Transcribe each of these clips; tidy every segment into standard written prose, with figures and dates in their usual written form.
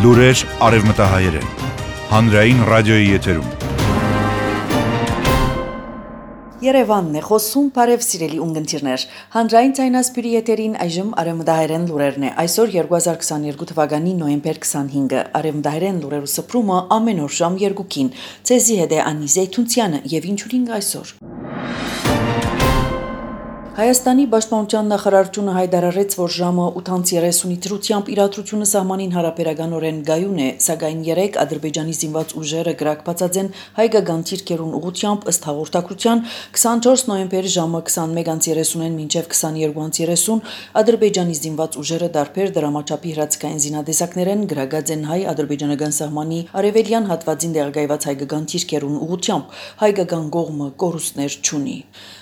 Լուրեր արևմտահայերեն, հանրային ռադիոյի եթերում։ Երևանն է խոսում, բարև սիրելի ունգընտիրներ, հանրային ցայնասպիրի եթերին այժմ արևմտահայերեն լուրերն է, այսօր 2022 թվականի նոյեմբեր 25-ը, արևմտահայերեն լուրերու սփռումը ամեն օր ժամ 2-ին, ցեզի հետ է Անի Զեյթունցյանը եւ ինչու՞րինգ այսօր։ Հայաստանի Պաշտպանության նախարարությունը հայտարարեց, որ ժամը 8:30-ի դրությամբ իրադրությունը սահմանին հարաբերականորեն գայուն է, սակայն 3 Ադրբեջանի զինված ուժերը գրակბացած են հայկական թիրքերուն ուղղությամբ ըստ հաղորդակցության 24 նոյեմբեր ժամը 21:30-ին մինչև 22:30 Ադրբեջանի զինված ուժերը դարբեր դրամաչափի հրացքային զինադեսակներ են գրակած են հայ-ադրբեջանական սահմանի արևելյան հատվածին տեղակայված հայկական թիրքերուն ուղղությամբ, հայկական կողմը կորուստներ չունի։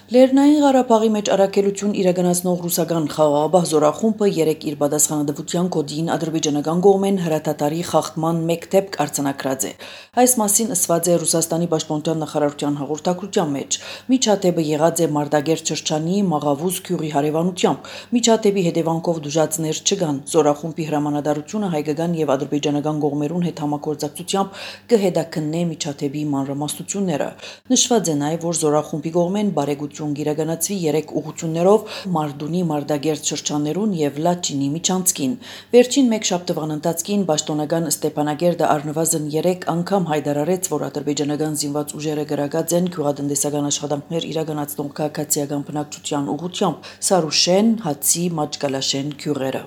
Լեռնային Ղարաբաղի մեջ առաքելություն իրականացնող ռուսական խաղաղապահ զորախումբը 3 իր պատասխանատվության կոդին ադրբեջանական կողմեն հրատատարի խախտման մեկ դեպք արձանագրած է։ Այս մասին ասված է Ռուսաստանի Պաշտպանության նախարարության հաղորդակցության մեջ։ Միջադեպը եղած է Մարտակերտ շրջանի Մաղավուզ գյուղի հարևանությամբ։ Միջադեպի հետևանքով դժուժածներ չկան։ Զորախումբի հրամանատարությունը հայկական եւ ադրբեջանական կողմերուն հետ համագործակցությամբ կհետաքննի միջադեպի մանրամասնությունները։ Նշված է նաեւ, որ զորախումբի կողմեն բարեգություն գիրականացվի 3 ուղղություններով Մարդունի Մարտակերտ շրջաններուն եւ Լաչինի միջանցքին։ Վերջին մեկ շաբթվան ընթացքին պաշտոնական Ստեփանագերդը առնվազն 3 անգամ հայտարարեց, որ ադրբեջանական զինված ուժերը գրակած են գյուղատնտեսական աշխատանքներ իրականացնող քաղաքացիական բնակչության ուղղությամբ Սարուշեն, Հացի, Մաճկալաշեն գյուղերը։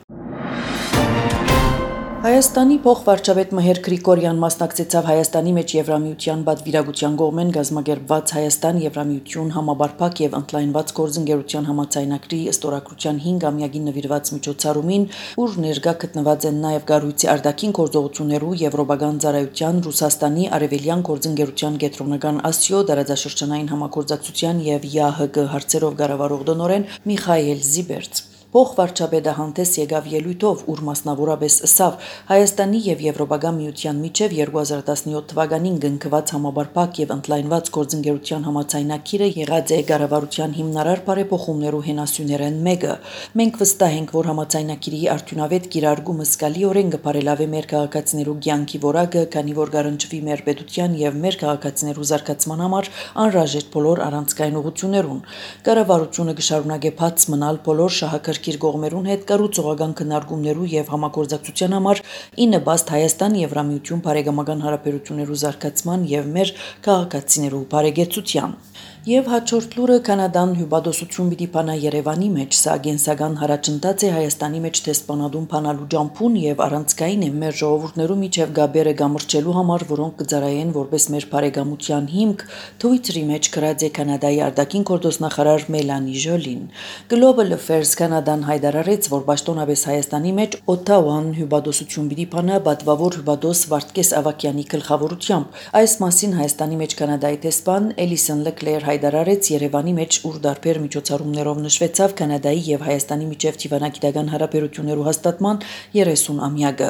Հայաստանի փոխվարչապետ Մհեր Գրիգորյան մասնակցեցավ Հայաստանի մեջ Եվրամիության պատվիրակության կողմեն գազմագերբված Հայաստան-Եվրամիություն համապարփակ եւ ընդլայնված գործընկերության համաձայնագրի ստորագրության 5-ամյակին նվիրված միջոցառումին, ուր ներկա գտնված են նաեւ կառույցի արտաքին գործողություններու եվրոպական ծառայության Ռուսաստանի արևելյան գործընկերության կենտրոնական Ասիո դարաձաշրջանային համագործակցության եւ ԵԱՀԿ հարցերով կառավարող տնօրեն Միխայել Զիբերց։ Փոխվարչապետը հանդես եկավ ելույթով, ուր մասնավորապես ըսավ Հայաստանի եւ Եվրոպական միության միջև 2017 թվականին կնքված համապարփակ եւ ընդլայնված գործընկերության համաձայնագիրը եղած է կառավարության հիմնարար բարեփոխումներու հենասյուներեն մեկը։ Մենք վստահ ենք, որ համաձայնագիրի արդյունավետ կիրառումը զգալիորեն կբարելավի մեր քաղաքացիներու կյանքի որակը, քանի որ կառնչվի մեր պետության եւ մեր քաղաքացիներու զարգացման համար անհրաժեշտ բոլոր առանցքային ուղղություններուն։ Կառավարությունը կշարունակի բաց մնալ բոլոր շահակրկիր կողմերուն հետ կառուցողական քննարկումներու եւ համագործակցության համար ի նպաստ Հայաստան-Եվրամիություն բարեկամական հարաբերություններու զարգացման եւ մեր քաղաքացիներու բարեկեցության։ Եվ հաջորդ լուրը Կանադան հյուպատոսություն պիտի բանա Երևանի մեջ, սա գենսական հարաճընթաց է Հայաստանի մեջ դեսպանադուն բանալու ջամփուն եւ առանցքային է մեր ժողովուրդներու միջև գաբերը գամրջելու համար, որոնք կծառայեն որպես մեր բարեկամության հիմք, Twitter-ի մեջ գրած է Կանադայի արտաքին գործոստնախարար Մելանի Ժոլին։ Global Affairs Կանադան հայտարարեց, որ պաշտոնապես Հայաստանի մեջ Օթավան հյուպատոսություն պիտի բանա պատվավոր հյուպատոս Վարդգես Ավակյանի գլխավորությամբ։ Այս մասին Հայաստանի մեջ Կանադայի դեսպան Էլիսոն Լեկլեր հայտարարեց Երևանի մեջ, ուր դարբեր միջոցառումներով նշվեցավ Կանադայի եւ Հայաստանի միջև դիվանագիտական հարաբերություններու հաստատման 30-ամյակը։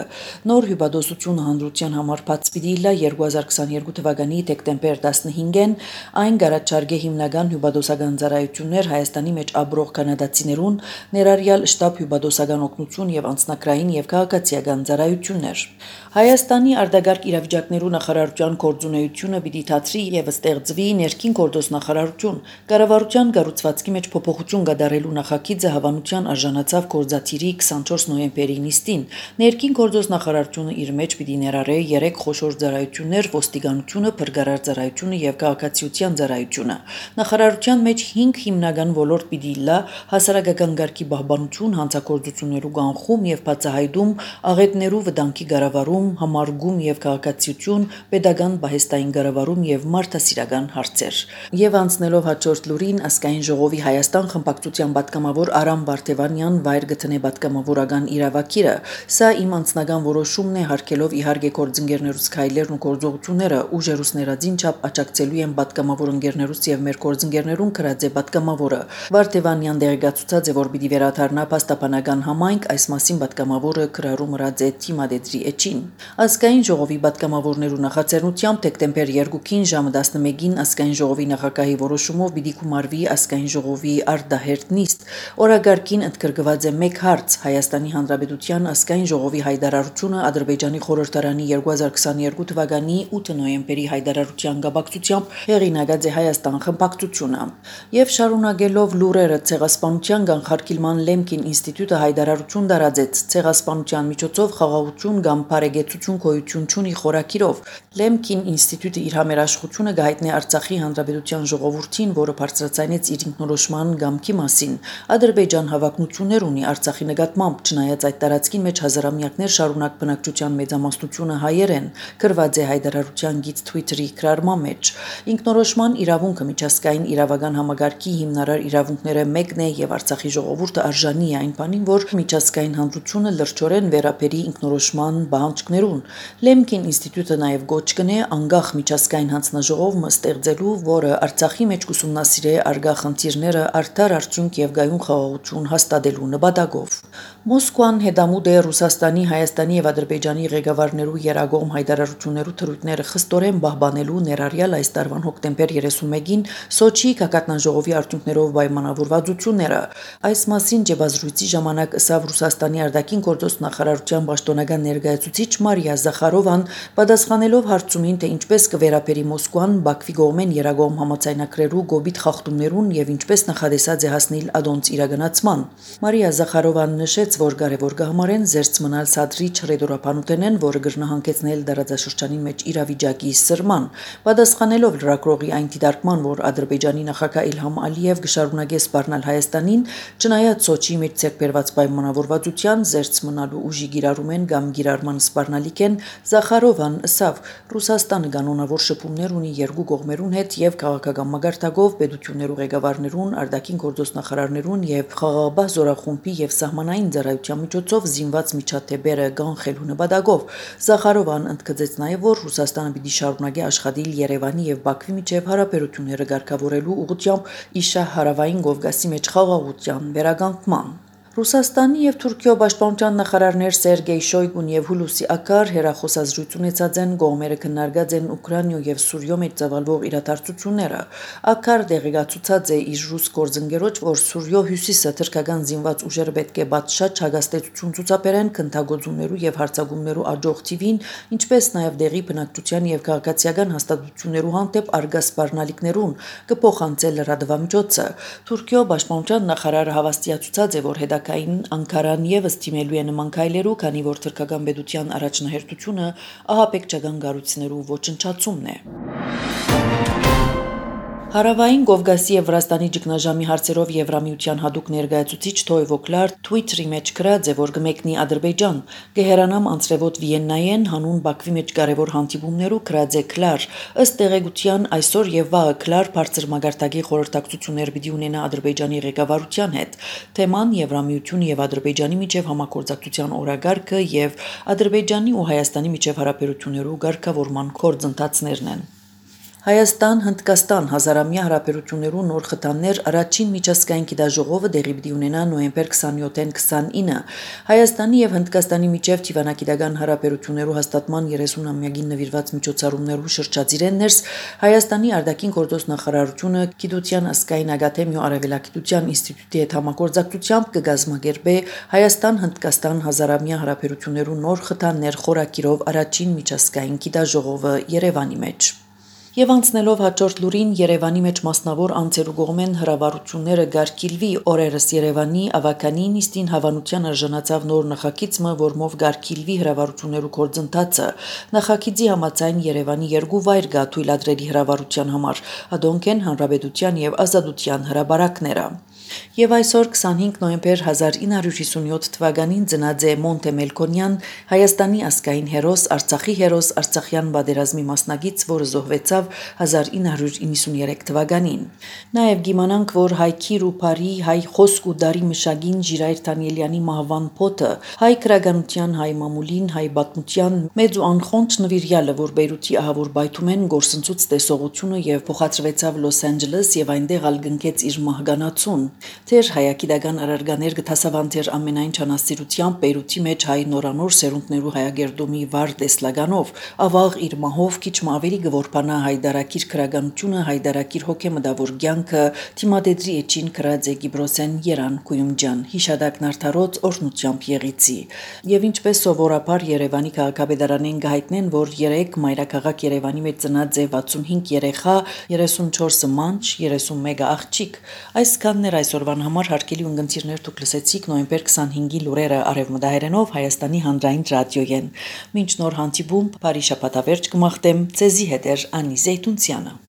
Նոր հյուպատոսությունը հանրության համար բաց պիտի լա 2022 թվականի դեկտեմբեր 15-ին, այն կառաջարկե հիմնական հյուպատոսական ծառայություններ Հայաստանի մեջ ապրող կանադացիներուն, ներառյալ շտաբ հյուպատոսական օգնություն եւ անձնակրային եւ քաղաքացիական ծառայություններ։ Հայաստանի արտագաղթ իրավիճակներու նախարարության գործունեությունը պիտի դադրի եւ ստեղծվի ներքին գործոստնախարարություն։ Կառավարության կառուցվածքի մեջ փոփոխություն կատարելու նախագիծը հավանության արժանացավ գործադիրի 24 նոյեմբերի նիստին։ Ներքին գործոստնախարարությունը իր մեջ պիտի ներառե 3 խոշոր ծառայություններ՝ ոստիկանությունը, փրկարար ծառայությունը եւ քաղաքացիության ծառայությունը։ Նախարարության մեջ 5 հիմնական ոլորտ պիտի լա՝ հասարակական կարգի պահպանություն, հանցագործություններու կանխում եւ բացահայտում, աղետներու վտանգի կառավարում, համարգում եւ քաղաքացիություն, pedagogan բահեստային կառավարում եւ մարդասիրական հարցեր։ Եվ անցնելով հաջորդ լուրին, ազգային ժողովի Հայաստան խմբակցության պատգամավոր Արամ Վարդևանյան վայր գտնե պատգամավորական իրավակիրը։ Սա իմ անձնական որոշումն է, հարկելով իհարկե գործընկերներուց քայլերն ու գործողությունները, ուժերուց ներածին չափ աջակցելու են պատգամավոր ընկերներուց եւ մեր գործընկերներուն գրած է պատգամավորը։ Վարդևանյան դերակացուցած է, որ պիտի վերադառնա փաստաբանական համայնք, այս մասին պատգամավորը գրառում ըրած է թիմադետրի էջին։ Ազգային ժողովի պատգամավորներու նախաձեռնությամբ դեկտեմբեր 2-ին ժամը 11-ին ազգային ժողովի նախագահի ՆԱՀԱ-ի որոշումով պիտի գումարվի ազգային ժողովի արտահերթ նիստ։ Օրագարկին ընդգրկված է մեկ հարց՝ Հայաստանի Հանրապետության ազգային ժողովի հայտարարությունը Ադրբեջանի խորհրդարանի 2022 թվականի 8 նոյեմբերի հայտարարության կապակցությամբ հեղինակած է Հայաստան խմբակցությունը։ Եվ շարունակելով լուրերը ցեղասպանության կանխարգելման Լեմկին ինստիտուտը հայտարարություն տարածեց ցեղասպանության միջոցով խաղաղություն կամ բարեկեցություն գոյություն չունի խորակիրով։ Լեմկին ինստիտուտը իր համերաշխությունը կհայտնի Արցախի Հանրապետության ժողովրդին, որը բարձրացնեց իր ինքնորոշման կամքի մասին։ Ադրբեջան հավակնություններ ունի Արցախի նկատմամբ, չնայած այդ տարածքի մեջ հազարամյակներ շարունակ բնակչության մեծամասնությունը հայեր են, գրված է հայտարարության գիծ Twitter-ի գրառման մեջ։ Ինքնորոշման իրավունքը միջազգային իրավական համագարկի հիմնարար իրավունքները մեկն է եւ Արցախի ժողովուրդը արժանի է այն բանին, որ միջազգային հանրությունը լրջորեն վերաբերի ինքնորոշման պահանջներուն։ Լեմկին ինստիտուտը նաեւ գոչ կնե անկախ միջազգային հանձնաժողով ստեղծելու, որը Արցախի մեջ կուսումնասիրե արգա խնդիրները արդար արդյունք եւ գայուն խաղաղություն հաստատելու նպատակով։ Մոսկվան հետամուտ է Ռուսաստանի, Հայաստանի եւ Ադրբեջանի ղեկավարներու երագողմ հայտարարություններու թրույթները խստորեն պահպանելու ներառյալ այս տարվան հոկտեմբեր 31-ին Սոչիի գագաթնաժողովի արդյունքներով պայմանավորվածությունները։ Այս մասին ջեբազրույցի ժամանակ ըսավ Ռուսաստանի արտաքին գործոս նախարարության պաշտոնական ներկայացուցիչ Մարիա Զախարովան, պատասխանելով հարցումին, թե ինչպես կվերապերի Մոսկվան Բաքվի կողմեն երագողմ համաձայնագրերու գոբիտ խախտումներուն եւ ինչպես նախադեսած է հասնել ադոնց իրականացման։ Մարիա Զախարովան նշեց, որ կարևոր կհամարեն զերծ մնալ սադրիչ ռեդորապանուտենեն, որը կրնահանգեցնել դարաձաշրջանի մեջ իրավիճակի սրման։ Պատասխանելով լրագրողի այն դիտարկման, որ Ադրբեջանի նախագահ Իլհամ Ալիև կշարունակե սպառնալ Հայաստանին, չնայած Սոչիի մեջ ցերբերված պայմանավորվածության զերծ մնալու ուժի գիրառումեն կամ գիրառման սպառնալիք են, Զախարովան ըսավ, Ռուսաստանը կանոնավոր շփումներ ունի երկու կողմերուն հետ եւ քաղաքական մագարտակով պետություններու ղեկավարներուն, արտաքին գործոս նախարարներուն եւ խաղաղապահ զորախումբի եւ սահմանային ծառայության միջոցով զինված միջադեպերը կանխելու նպատակով։ Զախարովան ընդգծեց նաեւ, որ Ռուսաստանը պիտի շարունակի աշխատել Երևանի եւ Բաքվի միջև հարաբերությունները կարգավորելու ուղղությամբ իշա հարավային Կովկասի մեջ խաղաղության վերականգնման։ Ռուսաստանի եւ Թուրքիո պաշտպանության նախարարներ Սերգեյ Շոյգուն եւ Հուլուսի Ակար հերախոսազրույց ունեցած են, կողմերը քննարկած են Ուկրաինայո եւ Սուրիո մեջ ծավալվող իրադարձությունները։ Ակար դեղեկացուցած է իր ռուս գործընկերոջ, որ Սուրիո հյուսիսը թրքական զինված ուժերը պետք է բացշաճ հագաստեցություն ցուցաբերեն քննագործումներու եւ հարձակումներու աջող թիվին, ինչպես նաեւ դեղի բնակչության եւ քաղաքացիական հաստատություններու հանդեպ արգա սպառնալիքներուն կփոխանցել լրատվամիջոցը։ Թուրքիո պաշտպանության նախարարը հավաստիացուցած է, որ Կային Անկարան եւս դիմելու է նման քայլերու, քանի որ թուրքական պետության առաջնահերթությունը ահաբեկչական կառույցներու ոչնչացումն է։ Հարավային Կովկասի եւ Վրաստանի ճգնաժամի հարցերով Եվրամիության հadoop ներկայացուցիչ Թոյվո Կլար Twitter-ի մեջ գրած է, որ կմեկնի Ադրբեջան։ Գեհրանամ անցրևոտ Վիեննայեն հանուն Բաքվի մեջ կարևոր հանդիպումներու գրած է Կլար։ Ըստ տեղեկության այսօր եւ վաղը Կլար բարձր մագարտակի խորհրդակցություններ պիտի ունենա Ադրբեջանի ղեկավարության հետ։ Թեման Եվրամիություն եւ Ադրբեջանի միջև համագործակցության օրագարկը եւ Ադրբեջանի ու Հայաստանի միջև հարաբերություններու ղեկավարման գործընթացներն են։ Հայաստան-Հնդկաստան հազարամյա հարաբերություններու նոր խթաններ առաջին միջազգային գիտաժողովը դեղի պիտի ունենա նոյեմբեր 27-ին 29։ Հայաստանի եւ Հնդկաստանի միջև դիվանագիտական հարաբերություններու հաստատման 30-ամյակին նվիրված միջոցառումներու շրջածիրեն ներս Հայաստանի արտաքին գործոս նախարարությունը Գիտության ազգային ակադեմիա Արևելագիտության ինստիտուտի հետ համագործակցությամբ կգազմագերբե Հայաստան-Հնդկաստան հազարամյա հարաբերություններու նոր խթաններ խորակիրով առաջին միջազգային գիտաժողովը Երևանի մեջ։ Եվ անցնելով հաջորդ լուրին Երևանի մեջ մասնավոր անձերու կողմեն հրավառությունները գարկիլվի օրերս Երևանի ավականի նիստին հավանության արժանացավ նոր նախագիծը, որմով գարկիլվի հրավառություններու գործընթացը։ Նախագիծի համաձայն Երևանի երկու վայր կա թույլատրելի հրավառության համար՝ ադոնք են Հանրապետության եւ Ազատության հրաբարակները։ Եվ այսօր 25 նոյեմբեր 1957 թվականին ծնած է Մոնտե Մելքոնյան, Հայաստանի ազգային հերոս, Արցախի հերոս, Արցախյան պատերազմի մասնակից, որը զոհվեցավ 1993 թվականին։ Նաև գիմանանք, որ հայ քիր ու բարի, հայ խոսք ու դարի մշակին Ժիրայր Դանիելյանի մահվան փոթը, հայ քրագանության, հայ մամուլին, հայ պատմության մեծ ու անխոնջ նվիրյալը, որ Բեյրութի ահավոր բայթումեն գործընծուց տեսողությունը եւ փոխադրվեցավ Լոս Անջելես եւ այնտեղ ալ գնքեց իր մահկանացուն։ Թեր հայագիտական առարգաներ գտասավանթեր ամենայն չանասիրությամբ Բեյրութի մեջ հայ նորանոր սերունդներու հայագերդումի վար տեսլականով, ավաղ իր մահով քիչ ավելի գորփանա հայդարակիր քրագանությունը, հայդարակիր հոգեմդավոր ցանկը, թիմադեդրի էջին կրած է Գիբրոսեն Երան Կույումջան, հիշադակն արդարոց օրնությամբ եղիցի։ Եվ ինչպես սովորաբար Երևանի քաղաքապետարանեն գահիտնեն, որ 3 մայրաքաղաք Երևանի մեջ ծնած է 65 երեխա, 34 մանչ, 31 աղջիկ։ Այսքանն էր այսօրվան համար հարկելի ունգընտիրներ դուք լսեցիք նոյեմբեր 25-ի լուրերը արևմտահայերենով Հայաստանի հանրային ռադիոյեն։ Մինչ նոր հանդիպում, բարի շաբաթավերջ կմաղթեմ, ձեզի հետ էր Անի Զեյթունցյանը։